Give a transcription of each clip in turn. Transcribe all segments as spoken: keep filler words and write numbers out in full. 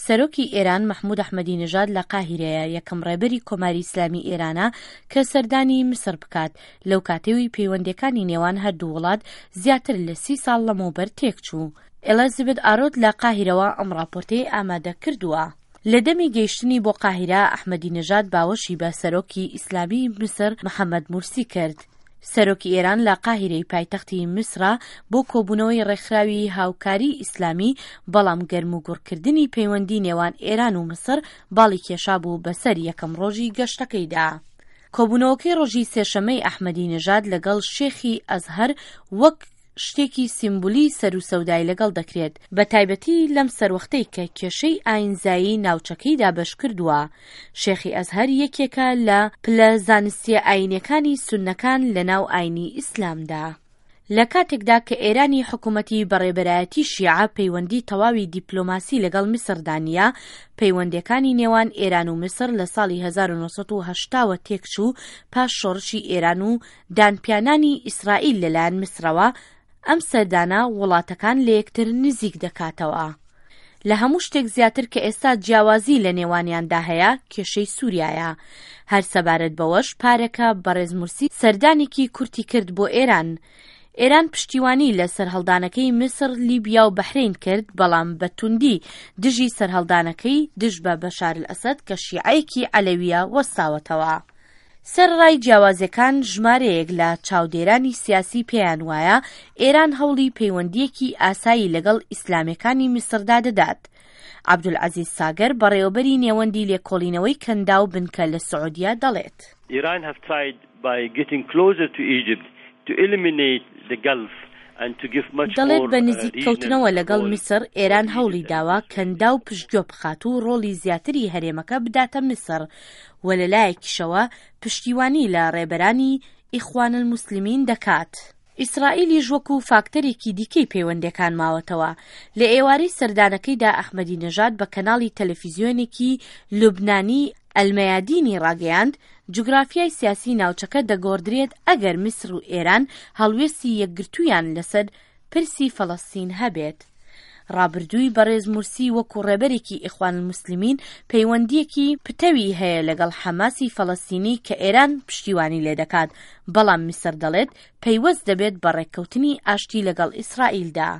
سەرۆکی ئێران مەحمود ئەحمەدی نژاد لە قاهیرەیە، یەکەم ڕێبەری کۆماری ئیسلامی ئێرانە کە سەردانی میسر بکات لەو کاتەوەی پەیوەندیەکانی نێوان هەردوو وڵات زیاتر لە سی ساڵ لەمەوبەر تێکچوو. ئێلیزابێت ئارۆت لە قاهیرەوە ئەم راپۆرتەی ئامادە کردووە. لە دەمی گەیشتنی بۆ قاهیرە، ئەحمەدی نژاد باوەشی بە سەرۆکی ئیسلامی میسر محەممەد مورسی کرد. سەرۆکی ئێران لە قاهیرەی پایتەختی میسرە بۆ کۆبوونەوەی ڕێکخراوی هاوکاری ئیسلامی، بەڵام گەرم و گوڕکردنی پەیوەندی نێوان ئێران و میسر باڵی کێشا بوو بەسەر یەکەم ڕۆژی گەشتەکەیدا. کۆبوونەوەکەی ڕۆژی سێشەمەی ئەحمەدی نژاد لەگەڵ شێخی ئەزهەر وەک شتێکی سیمبولی سەر و سەودای لەگەڵ دەکرێت، بە تایبەتی لەم سەروەختەی کە کێشەی ئاینزایی ناوچەکەی دابەش کردووە. شێخی ئەزهەر یەکێکە لە پلە زانستیە ئاینەکانی سوننەکان لە ناو ئاینی ئیسلامدا. لە کاتێکدا کە ئێرانی حکوومەتی بەڕێبەرایەتی شیعە پەیوەندی تەواوی دیپلۆماسی لەگەڵ میسردا نییە، پەیوەندەکانی نێوان ئێران و میسر لە ساڵی هەزار و نۆ سەد و هەشتا وە تێکچوو پاش شۆڕشی ئێران و دانپیانانی ئیسرائیل لەلایەن میسرەوە. ئەم سەردانە وڵاتەکان لە یەکتر نزیک دەکاتەوە. لە هەموو شتێک زیاتر کە ئێستا جیاوازی لە نێوانیاندا هەیە کێشەی سووریایە. هەر سەبارەت بەوەش پارەکە بەڕێز مورسی سەردانێکی کورتی کرد بۆ ئێران. ئێران پشتیوانی لە سەرهەڵدانەکەی میسر، لیبیا و بەحرین کرد، بەڵام بە توندی دژی سەرهەڵدانەکەی دژ بە بەشار ئەسەد کە شیعەیەکی عەلەویە وەستاوەتەوە. سەرڕای جیاوازیەکان، ژمارەیەک لە چاودێرانی سیاسی پێیان وایە ئێران هەوڵی پەیوەندیەکی ئاسایی لەگەڵ ئیسلامەکانی میسردا دەدات. عەبدولعەزیز ساگەر، بەڕێوەبەری نێوەندی لێکۆڵینەوەی کەنداو بنکە لە سعودیە، دەڵێت: Iran have tried by getting closer to Egypt to eliminate the Gulf. دەڵێت بە نزیک کەوتنەوە لەگەڵ میسر، ئێران هەوڵی داوە کەنداو پشتگوێ بخات و ڕۆڵی زیاتری هەرێمەکە بداتە میسر و لەلایەکیشەوە پشتیوانی لە ڕێبەرانی ئیخوان الموسلمین دەکات. ئیسرائیلیش وەکو فاکتەرێکی دیکەی پەیوەندەکان ماوەتەوە. لە ئێوارەی سەردانەکەیدا ئەحمەدی نەژاد بە کەناڵی تەلەفیزیۆنێکی لوبنانی ئەلمەیادینی ڕاگەیاند، جوگرافیای سیاسی ناوچەکە دەگۆڕدرێت ئەگەر میسر و ئێران هەڵوێستی یەکگرتوویان لەسەر پرسی فەڵەستین هەبێت. ڕابردووی بەڕێز مورسی وەکو ڕێبەرێکی ئیخوان الموسلمین پەیوەندیەکی پتەوی هەیە لەگەڵ حەماسی فەڵەستینی کە ئێران پشتیوانی لێ دەکات، بەڵام میسر دەڵێت پەیوەست دەبێت بە ڕێککەوتنی ئاشتی لەگەڵ ئیسرائیلدا.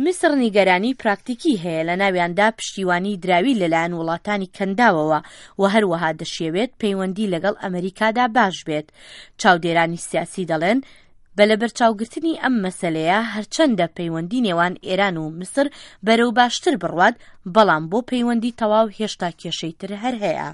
میسر نیگەرانی پراکتیکی هەیە، لە ناویاندا پشتیوانی دراوی لەلایەن وڵاتانی کەنداوەوە و هەروەها دەشیەوێت پەیوەندی لەگەڵ ئەمریکادا باش بێت. چاودێرانی سیاسی دەڵێن بە لەبەرچاوگرتنی ئەم مەسلەیە، هەرچەندە پەیوەندی نێوان ئێران و میسر بەرەو باشتر بڕوات، بەڵام بۆ پەیوەندی تەواو هێشتا کێشەی تر هەر هەیە.